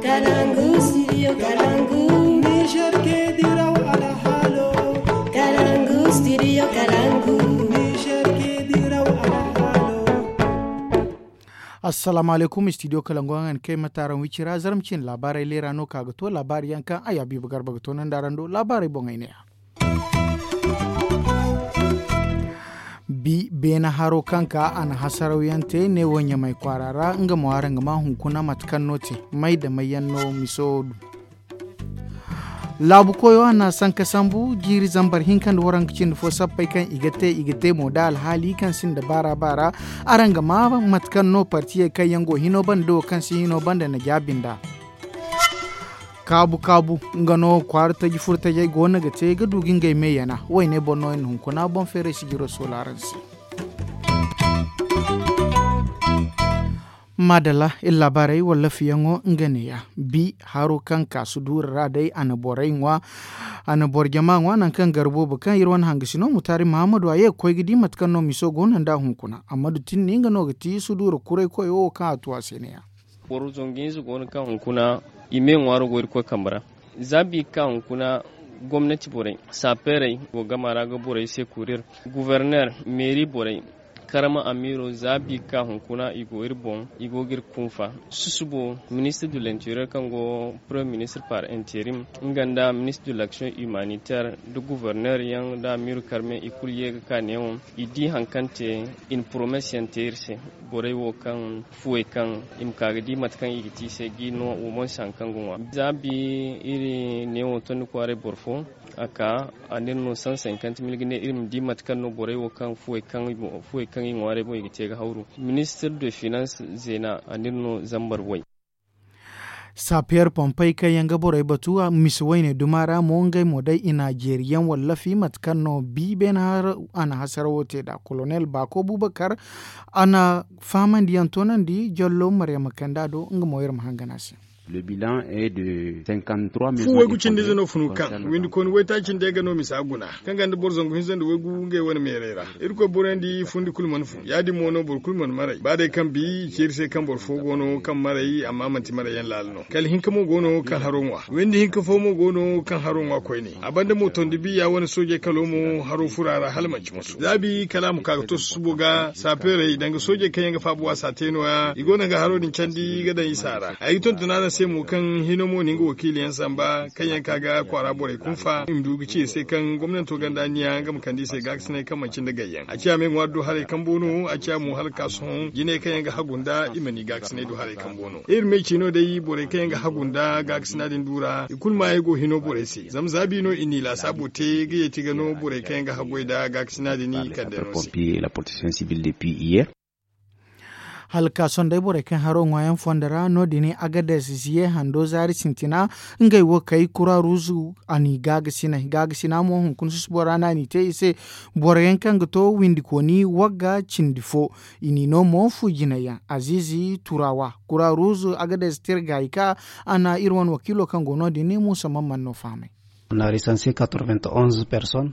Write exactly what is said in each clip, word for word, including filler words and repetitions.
Kalangu, studio Kalangu. Niger ke diraw alhalo. Kalangu, studio Kalangu. Niger ke diraw alhalo. Assalamu alaikum, studio Kalangu, an kay mataaran wicira zarmcin laabaarey leera no ka ga to laabaari yaŋ kaŋ ay Habiibu Garba ga to nandaaran do laabaarey boŋey ne ya. Bi beene haro kaŋ ka a na hasaraw yaŋ te neewo ɲamay kwaara ra nga mo araŋ ga ma hunkuna mate kaŋ no te may da may yaŋ no miso du. Laabu koyo a na sanka sambu jiiri zambar hinka nda waranka cindi fo sappey kaŋ i ga te i ga te mo da alhaali kaŋ sinda baara baara. Araŋ ga ma mate kaŋ no partiyey kaŋ yaŋ go hino banda da wo kaŋ si hino banda na jaabi nd'a. Kaabu kaabu nga no kwaara taji furo tajey go no ga te ga du ga ngey me yana wayne boŋ no i na hunkuna boŋ feeray sijiro soolaaransi. Maadalla iri laabaarey wala lafiyaŋo nga neeya bi haro kaŋ ka suduura ra day a na borey ŋwa. A na boro jama ŋwa nangu kaŋ garbo bo kaŋ iri wane hangasino mutaari mahammadu a ye ga koy ga di mate kaŋ no miso go no nd'a hunkuna amma du tinni nga no ga ti suduura kuray koyo wo kaŋ a tu a se neeya. Boro zangu hinza go no kaŋ hunkuna i me ŋwaaro go irkoy kambe ra. Za bi ga ka hunkuna gomnati borey saapeerey go gama ra ga borey se kurir guverner meeri borey karama amiiro za bi ga ka hunkuna i go iri boŋ i go ga iri kunfa. Susubo ministir du l'interior kaŋ go premier ministir par interim nga nda ministir du l'action humanitaire nda guverner yaŋ nda amiiro karme i kulu ye ga ka neewo i di hari kaŋ te i na poromes yaŋ te iri se. Borey wo kaŋ fuwey kaŋ i ma ka ga di mate kaŋ i ga te i se ga i no wo mo si hari kaŋ ga ŋwa za bi iri neewo tondi kwaaray boro fo a ka a n'iri no san sankant mil ga ne iri ma di mate kaŋ no borey wo kaŋ fuwey kaŋ i ŋwaaray boŋ i ga te ga hawru. Ministir de finans zeena a n'iri no zambar way. Sapiyer pompey kaŋ yaŋ ga borey batu misi wayne duma ra mo ngey mo day i na jeeri yaŋ wallafi mate kaŋ no bi beene a na hasara wo te nd'a kolonel baako bubakar. A na fahamandi yaŋ toonandi jallo maryama kanda do nga mo iri ma hangan a se. Fu waygu cindi ize no funu kaŋ windi kooni waytaaci nda ay ga no misa guna kaŋ ga nda boro zangu hinza nda waygu ngey wane meeray ra. Irkoy borandi fundi kulu mana fu ya- din mo no boro kulu mana maray ba day kaŋ bi i ceeri se kaŋ boro fo go no kaŋ maray amma manti maray yaŋ laala no kala hinka mo go no kaŋ haro ŋwa windi hinka fo mo go no kaŋ haro ŋwa koyne. A banda mo tondi biya wane soojey kalo mo haro furo a ra hala manci musu za bi kala a ma ka ga to susubo ga saapeerey danga soojey kaŋ yaŋ ga faabu waasa te no- ya i go no ga haro din candi ga daŋ isa ra ay ga tonton araŋ se mo kaŋ hino mo na nga wakiili yaŋ samba kaŋ yaŋ ka ga kwaara borey kunfa i ma du ga ci iri se kaŋ gomnanto gonda anniya nga ma kande i se gaakasinay kaŋ manci nda gayyaŋ a ciya me ŋwaari do haray kambo no a ciya mo hala ka sohõ jinay kaŋ yaŋ ga hagu nda i ma ni gaakasinay do haray kambo no iri me ci no day borey kaŋ yaŋ ga hagu nda gaakasina din du ra i kulu maayey go hino borey se zama za bi no i n'i laasaabo te ga yeeti ga no borey kaŋ yaŋ ga hagoy nda gaakasina din i kande no se. Hala ka sohõ day borey kaŋ haro ŋwaayaŋ fondo ra no- din agades ziye hando zaari sintina ngey wo kay kura ruuzu a n'i gaagasinay gaagasina mo hunkuna susubo ra no a n'i te i se. Boro yaŋ kaŋ ga to windikooni wagga cindi fo i n'i no mo fu jinay yaŋ aziizi turawa kura ruuzu agades tirgaayi ka a na iri wane wakiilo kaŋ go no- din muusa man man no fahamay.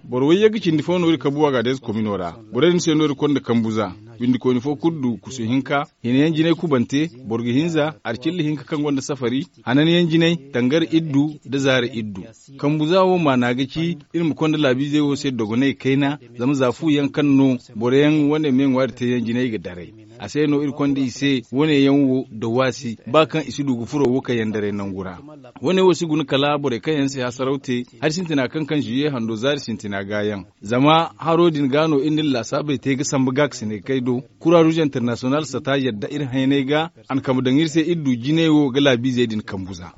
Boro wayyagga cindi fo no iri kabu agades komino ra. Borey din se no iri konda kambu za windikooni fo kulu du kusu hinka hina yaŋ jinay kubante boro ga hinza arcilla hinka kaŋ gonda safari hanan yaŋ jinay tangari iddu nda zaari iddu. Kambu za wo maana ga ci iri ma konda laabiizey wo se dogonay kayna zama za fu yaŋ kaŋ no boro yaŋ wane me ŋwaari te yaŋ jinay ga daray. A se no iri konda i se wane yaŋ wo da waasi ba kaŋ i si du ga furo wo kaŋ yaŋ daray nangu ra. Wane wo si guna kala borey kaŋ yaŋ si hasaraw te hari sintina kaŋ kaŋ ziye hando zaari sintina ga yaŋ. Zama haro din ga no iri na iri laasaabey te ga samba gaakasinay kay do kura ruuz internasiyonal sata yadda iri hayanay ga a na kambe daŋ iri se iri du jinay wo ga laabiizey din kambu za.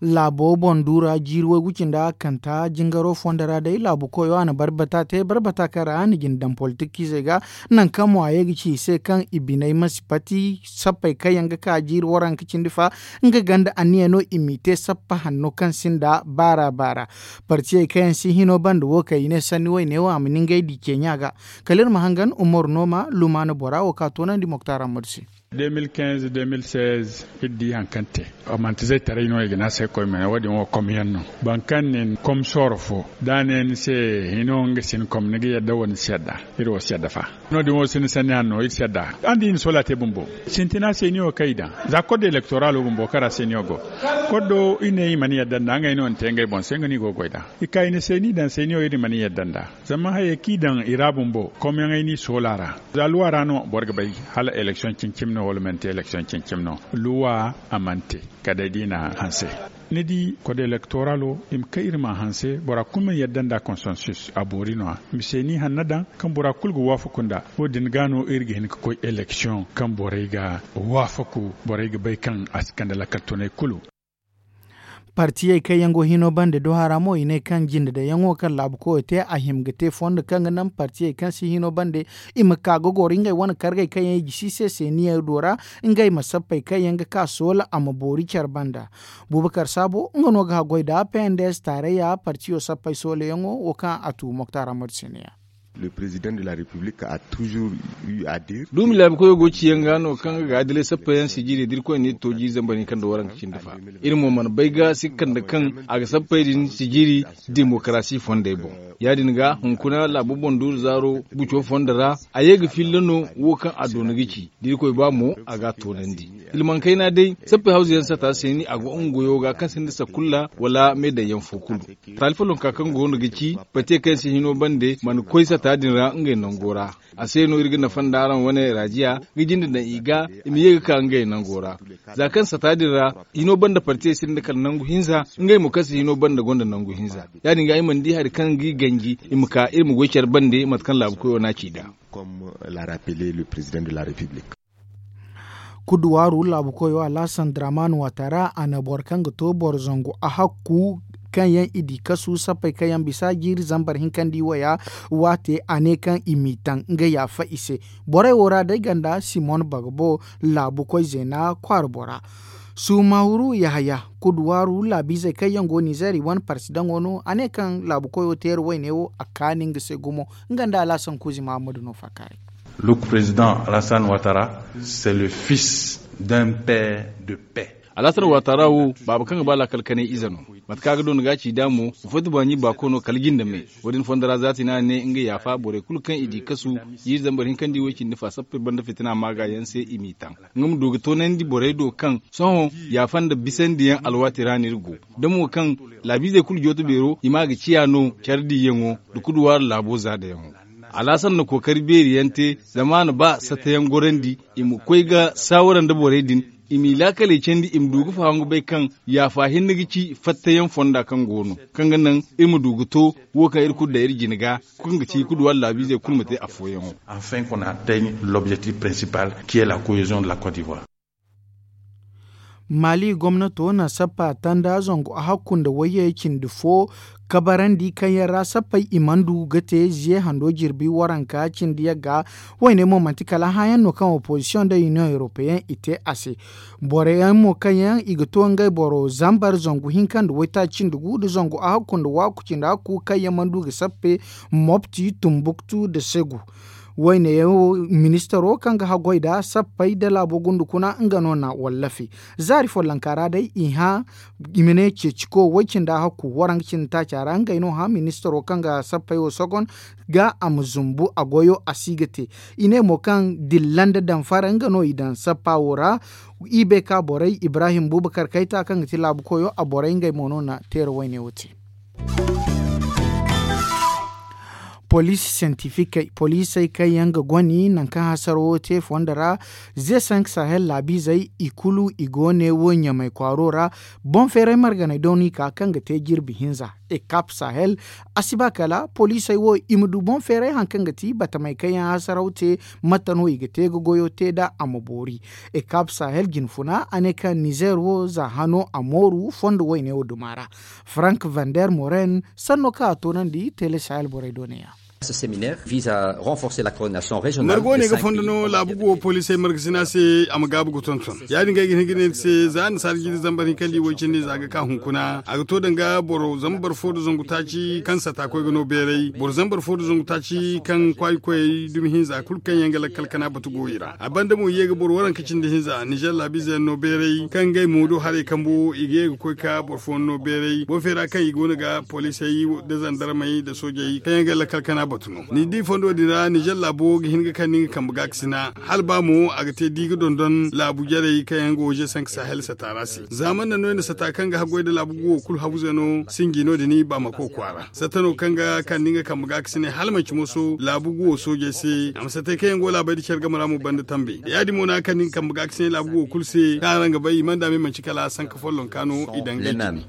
Laabo boŋ du ra jiiri waygu cindi a kanta jingaro fondo ra day laabu koyo a na barbata te barbata kaŋ ra a na jina daŋ politik ize ga. Nangu kaŋ mo a ye ga ci i se kaŋ i biney ma si pati sappey kaŋ yaŋ ga ka jiiri waranka cindi fa nga ganda anniya no i m'i te sappa hanno kaŋ sinda baara baara. Partiyey kaŋ yaŋ si hino banda wo kaŋ i ne sanni wayne wo a ma ni ngey di ceeɲa ga. Kala iri ma hangan umaru nooma lumaana bora wo ka toonandi moktar ammadu se. De mil kinze de mil seize iri di hari kaŋ te. A manti zaytaray no i ga ne a se koy mene wo- din wo kom yaŋ no. Boro kaŋ nin kom sooro fo da a ne ni se hino nga sin kom ni ga yadda wala ni si yadda? Iri wo si yadda fa. No- din wo sinda sanni hanno iri si yadda. Araŋ di i na soola te bumbo sintina seeniyo kaŋ i daŋ za koddo elektoralo bumbo kara seeniyo go. Koddo i ne i mana yadda nda ngey no ni te ngey boŋ se nga no i go ga goy nd'a. I ka i na seeni daŋ seeniyo iri mana yadda nd'a. Zama hayey kaŋ i daŋ i ra bumbo komyaŋey n'i soola ra. Za luwa ra no boro ga bay hala eleksiyoŋ cine-cine no wala manti eleksiyoŋ cine-cine no. Luwa a mana te kala day da i na hanse. Ni di kode elektoralo i ma kay iri ma a hanse bora kulu ma yadda nda konsensus a boori no- ya i ma seeni hanno daŋ kaŋ bora kulu ga waafaku nd'a. Wo- din ga no iri ga hin ga koy eleksiyoŋ kaŋ borey ga waafaku borey ga bay kaŋ a si kande lakkal tunay kulu. Partiyey kaŋ yaŋ go hino bande do hara mo i ne kaŋ jinde daŋyaŋo kaŋ laabu koyo te a hima ga te fondo kaŋ ga naŋ partiyey kaŋ si hino bande i ma ka ga goro ngey wane kargey kaŋ yaŋ i gisi i se seeniyaŋ do ra. Ngey ma sappey kaŋ yaŋ ga ka soola a ma boori care banda. Bubakar saabo nga no ga haggoy nda pnds taarayya partiyo sappey soolayaŋo wo kaŋ a tu moktar amadu se ne- ya. Duumi laabu koyo go ciyaŋ ga no kaŋ ga ga adilay sappa yaŋ sijiri da irkoy ne to jiiri zambar hinka nda waranka cindi fa. Iri mo mana bay ga sikka nda kaŋ a ga sappey din sijiri demokarasi fondey boŋ. Ya- din ga hunkuna laabu boŋ duuru zaaro guco fondo ra a ye ga filla no wo kaŋ a doona ga ci da irkoy ba mo a ga a toonandi. Hilmaŋ kayna day sappey hawza yaŋ sata se ni a go nga goyo ga kaŋ sinda sakulla wala me daŋ yaŋ fo kulu. Taali follonka kaŋ go no ga ci bate kaŋ yaŋ si hino bande mana koy sata din ra ngey nango ra. A se no iri ga nafa nda araŋ wane raajiya ga jinde daŋ i ga i ma ye ga ka ngey nango ra. Za kaŋ sata din ra hino bande partiyey sinda kala nangu hinza ngey mo kaŋ si hino bande gonda nangu hinza. Ya- din ga i mana di hari kaŋ ga i ganji i ma ka iri ma goy care bande mate kaŋ laabu koyo no a ci nd'a. Kuduwaaru laabu koyo alhasan draman watara a na boro kaŋ ga to boro zangu a hakku kaŋ yaŋ i di kasu sappey kaŋ yaŋ bisa jiiri zambar hinkandi waya waate a ne kaŋ i m'i taŋ nga yaafa i se. Borey wo ra day ganda simon bagbo laabu koy zeena kwaara bora. Sumawuru yahaya kuduwaaru laabiizey kaŋ yaŋ go nizeer i wane parsi daŋo no a ne kaŋ laabu koyo teeri wayne wo a kaani nga se gumo. Nga nda alhasan kuuzi mahammadu no faakaaray. Luk president alhasan watara c'est le fils d'un père de paix. Alhasan watara wo baaba kaŋ ga ba laakal kanay ize no. Mate kaŋ a ga doona ga a ci nd'a mo ga footi baani baako no kala jinde me. Wo- din fondo ra zaati no a ne nga yaafa borey kulu kaŋ i di kasu jiiri zambar hinkandi way cindi fa sappey banda fitina maaga yaŋ se i m'i taŋ. Nga ma du ga toonandi borey do kaŋ sohõ yaafa nda bisandi yaŋ alwaati ra no iri go. Da mo kaŋ laabiizey kulu jooto beero i ma ga ciya no care diyaŋo nda kuduwaari laabo zaadayaŋo. Alhasan na kookari beeri yaŋ te zama a na ba sattayaŋ gorandi i ma koy ga saawara nda borey din i m'i laakaley candi i ma du ga fahaŋ ga bay kaŋ yaafa hinne ga ci fattayaŋ fonda kaŋ go no kaŋ ga naŋ iri ma du ga to wo kaŋ iri kulu daŋ iri jine ga kaŋ ga ci kuduwaari laabiizey kulu ma te afooyaŋo. Enfin qu'on atteigne l'objectif principal qui est la cohésion de la côte d'ivoire. Mali gomnato na sappa tanda zangu a hakku nda wayye cindi fo kabarandi kaŋ yaŋ ra sappey i mana du ga te ziye hando jirbi waranka cindi yagga. Wayne mo manti kala hãayaŋ no kaŋ opozisiyoŋ nda iniyoŋ europeyen i te a se. Boro yaŋ mo kaŋ yaŋ i ga to ngey boro zambar zangu hinka nda waytaaci cindi gu nda zangu a hakku nda waaku cindi hakku kaŋ yaŋ mana du ga sappe mopti tumbuktu nda segu. Wayne yaŋ wo ministaro kaŋ ga haggoy nda sappey nda laabo gundu kuna nga no na wallafi. Zaari follonka ra day i hã i ma ne ceeciko way cindi a hakku waranka cindi taaca ra ngey no hã ministaro kaŋ ga sappey wo sogon ga a ma zumbu a goyo a si ga te. I ne mo kaŋ dilla nda damfara nga no i daŋ sappa wo ra. I bay ka borey ibrahim bubakar kayta kaŋ ga ti laabu koyo a borey ngey mo no na teera wayne wo te. Poliisi sentifikey poliisey kaŋ yaŋ ga goni nangu kaŋ hasaro wo te fondo ra. Ze sank sahel laabiizey i kulu i go ne wo ɲamay kwaaro ra. Boŋ feeray marganey do no i ka kaŋ ga te jirbi hinza. Ekap sahel a si ba kala poliisey wo i ma du boŋ feeray hari kaŋ ga ti batamey kaŋ yaŋ hasaraw te. Mate no i ga te ga goyo te nd'a a ma boori. Ekap sahel jinfuna a ne kaŋ nizer wo za hano a mooru fondo wayne wo duma ra. Frank vander moren sanno kaŋ a toonandi tele sahel borey do ne-ya. Margo ne ga fondo no laabu guwo poliisey margasina se a ma gaabu ga tonton. Ya- din ga ay ga hin ga ne ni se za annasaara jiri zambar hinka nda i way cindi za ga ka hunkuna a ga to danga boro zambar fo nda zangu taaci kaŋ sata koy ga no beeray boro zambar fo nda zangu taaci kaŋ kwaayi koyey dumi hinza kulu kaŋ yaŋ ga lakkal kana batu go i ra a banda mo i ye ga boro waranka cindi hinza nizer laabiize yaŋ no beeray kaŋ ngey mo do haray kambo i ga ye ga koy ka boro fooyaŋ no beeray boro feera kaŋ i go no ga poliisey nda zandarmey nda soojey kaŋ yaŋ ga lakkal kana batu no ni di fondo din ra nizer laabo ga hin ga kande nga kambe gaakasina hala ba mo a ga te di ga dondon laabu jarey kaŋ yaŋ ga oze sanka sahel sata ra se za man na no i na sata kaŋ ga haggoy nda laabu guwo kulu habuze no sinji no- din baamako kwaara sata no kaŋ ga kande nga kambe gaakasinay hala manci moso laabu guwo soojey se a ma satay kaŋ yaŋ go laabey nda care game ra mo banda tambe ya- din mo no a ga kande nga kambe gaakasinay laabu guwo kulu se kaŋ araŋ ga bay i mana daama i manci kala sanka follonka no i daŋ ga i cindi.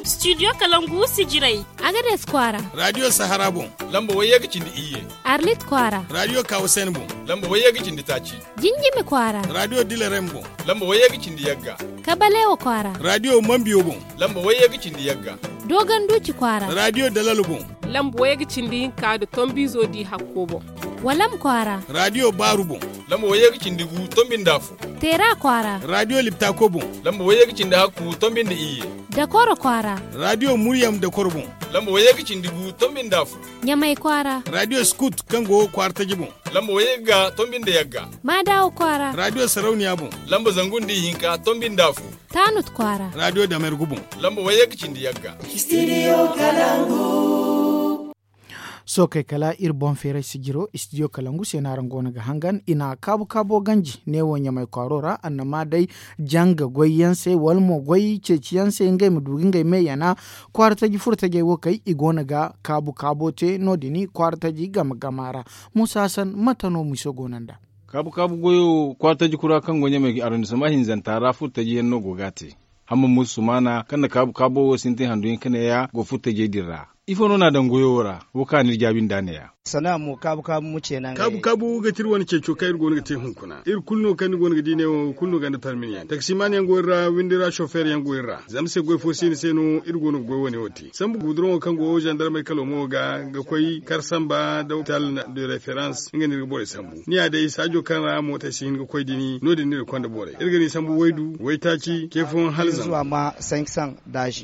Studio kalangu sijirey. Agades kwaara. Radio sahara boŋ. Lamba wayye ga cindi iyye. Arlit kwaara. Radio kawasen boŋ. Lamba wayye ga cindi taaci. Jinjimi kwaara. Radio dilerem boŋ. Lamba wayye ga cindi yagga. Kabalewa kwaara. Radio mambiyo boŋ. Lamba wayye ga cindi yagga. Dogon duuci kwaara. Radio dalalo boŋ. Lamba wayye ga cindi hinka nda tombiizo di hakko boŋ. Walam kwaara. Radio baaru boŋ. Lamba wayye ga cindi gu tombi nda afo. Teera kwaara. Radio liptako boŋ. Lamba wayye ga cindi hakku tombi nda iyye. Dakoro kwaara. Radio muryam dakoro boŋ. Lamba wayye ga cindi gu tombi nda afo. Ɲamay kwaara. Radio skut kaŋ go kwaara taji boŋ. Lamba wayye ga tombi nda yagga. Maadawa kwaara. Radio sarauniya boŋ. Lamba zangu nda ihinka tombi nda afo. Taanut kwaara. Radio damergu boŋ. Lamba wayye ga cindi yagga. Studio kalangu. Sookey kala iri boŋ feeray sijiro studio kalangu se no araŋ go no ga hangan i na kaabu kaabo ganji neewo ɲamay kwaaro ra annama day janga goy yaŋ se wala mo goy ceeci yaŋ se ngey ma du ga ngey me yana kwaara taji furo tajey wo kay i go no ga kaabu kaabo te no- din kwaara taji gama gama ra. Muusa hasan mate no miso go no nd'a? Kaabu kaabu goyo kwaara taji kura kaŋ go ɲamay arrondissement hinzanta ra furo taji yaŋ no go ga a te. Hamma muusa sumaana kaŋ na kaabu kaabo wo sintin handu yaŋ ka ne ya go furo tajey din ra. Ifo no n'a daŋ goyo wo ra? Wo kaŋ a n'iri jaabi nd'a ne- ya. Sana'a mo kaabu kaabu mo ce naŋ kaabu kaabu ga ti iri wane ceeco kaŋ iri go no ga te hunkuna iri kulu no kaŋ ni go no ga di ne wo kulu no ganda parmin yaŋ taksimaan yaŋ go iri ra windi ra sofeer yaŋ go iri ra. Zama se goy fo siina se no iri go no ga goy wane wo te sambu guduroŋo kaŋ go zandarmey kalo mo ga ga koy kar samba nda hopital de referans nga no iri ga borey sambu ni ya day saajo kaŋ ra mootey si hin ga koy dini no- din no iri konda borey iri ga ni sambu waydu waytaaci ce fooyaŋ hala zama.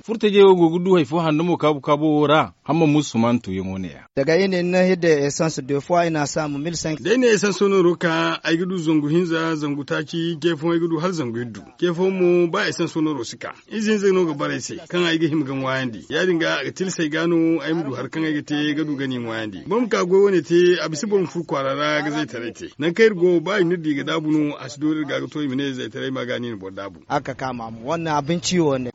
Furtajey wo go ga du hari fo handumo kaabu kaabo wo ra. Hamma muusa sumaana tuuyaŋo ne- ya. Daga iri ne ni na hidda esans de fois i na a saamu mil cinq cents. Day ne esans no ro ka ay ga du zangu hinza zangu taaci ce fooyaŋ ay ga du hala zangu iddu. Ce fooyaŋ mo ba esans no ro si ka ize hinza no ga bara ay se kaŋ ay ga hima ga ŋwaayandi ya- din ga a ga tilasay ga no ay ma du hari kaŋ ay ga te ga du ga ni ŋwaayandi boro ma ka goy wane te a bisa boro ma furo kwaara ra ga zaytaray te. Nangu kaŋ iri go ba i n'iri di ga daabu no a si doori iri ga ga to i ma ne zaytaray ma ga no i na boro daabu.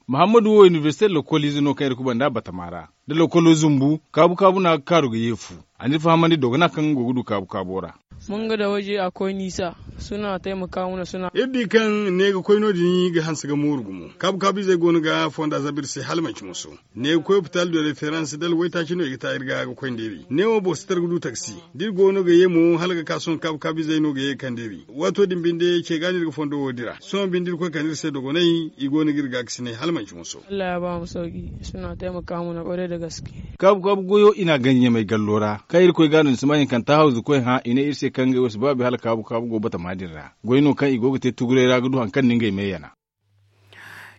Muhammadu wo inibersite lokoliize no kaŋ iri kubanda batama ra. Da lokolo zumbu kaabu kaabu no a ga kaaru ga ye fu. A n'iri fahamandi dogona kaŋ nga go ga du kaabu kaabo ra. Mun ga da waje a koy niisa suna taimaka mana suna. Iri di kaŋ ne ga koy no- din ga hanse ga mooru gumo kaabu kaabu izey go no ga fonda zabu iri se hala manci moso. Ne ga koy hopital de referans dala waytaaci no i ga ta iri ga ga koy nda iri ne wo boro si tara ga du taksi. Da iri go no ga ye mo hala ga ka sohõ kaabu kaabu izey no ga ye ga kande iri. Waato din binde ce ga no iri ga fondo wo dira sohõ binde iri koy kande iri se dogonay i go no ga iri gaakasinay hala manci moso. Kaabu kaabu goyo i n'a ganji ɲamay gallo ra kaŋ irkoy ga no ni si ma hinkanta hawzu koy hã i ne iri se kaŋ ngey wo si baabi hala kaabu kaabu go batama din ra. Goy no kaŋ i go ga te tuguray ra ga du hari kaŋ no ngey me yana.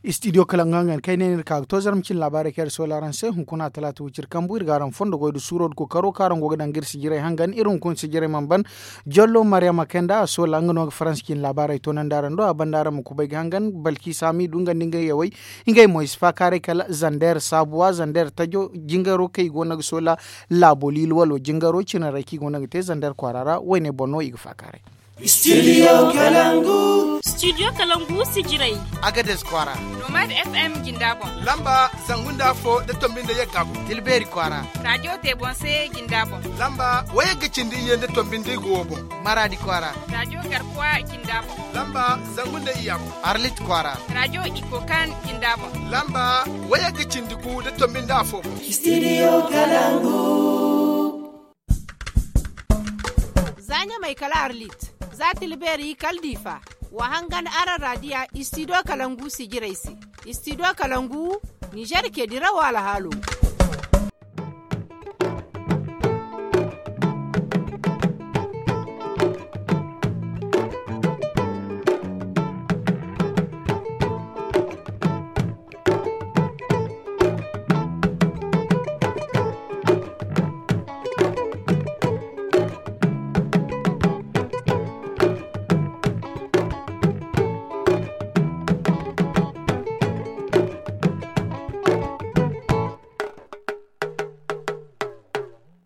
Studio kala nga nga kaŋ ay ne ni iri ka ga to zarma cine laabaarey kaŋ iri soola araŋ se hunkuna talaata wiciri kambu iri ga araŋ fondo goy nda suuro nda kookaro kaŋ araŋ go ga daŋ ga iri sijirey hangan iri hunkuna sijirey mana ban. Jollo maryama kay nda a soola nga no ga faransa cine laabaarey toonandi araŋ do a banda araŋ ma kubay ga hangan balki saami du nga nda nga yawey. Ngey mo i si faakaaray kala zander saabuwa zander tajo jingaro kaŋ i go no ga soola laabo liili walo jingaro cinarey kaŋ i go no ga te zander kwaara ra wayne boŋ no i ga faakaaray. Studio kalangu. Studio kalangu sijirey. Agades kwaara. Nomad fm jinda boŋ. Lamba zangu nda afo nda tombi nda yagga boŋ tilbeeri kwaara. Rajo te boŋ se jinda boŋ. Lamba wayagga cindi iyye nda tombi nda igo wo boŋ. Maradi kwaara. Rajo garkuwa jinda boŋ. Lamba zangu nda iyya boŋ. Arlit kwaara. Rajo ikokan jinda boŋ. Lamba wayagga cindi gu nda tombi nda afo boŋ. Studio kalangu. Za ɲamay kala arlit za tilbeeri kala diifa. Wa hangan araŋ raadiya istidiyo kalangu sijirey se. Istidiyo kalangu. Ninzeer ce dirawo alhaalo.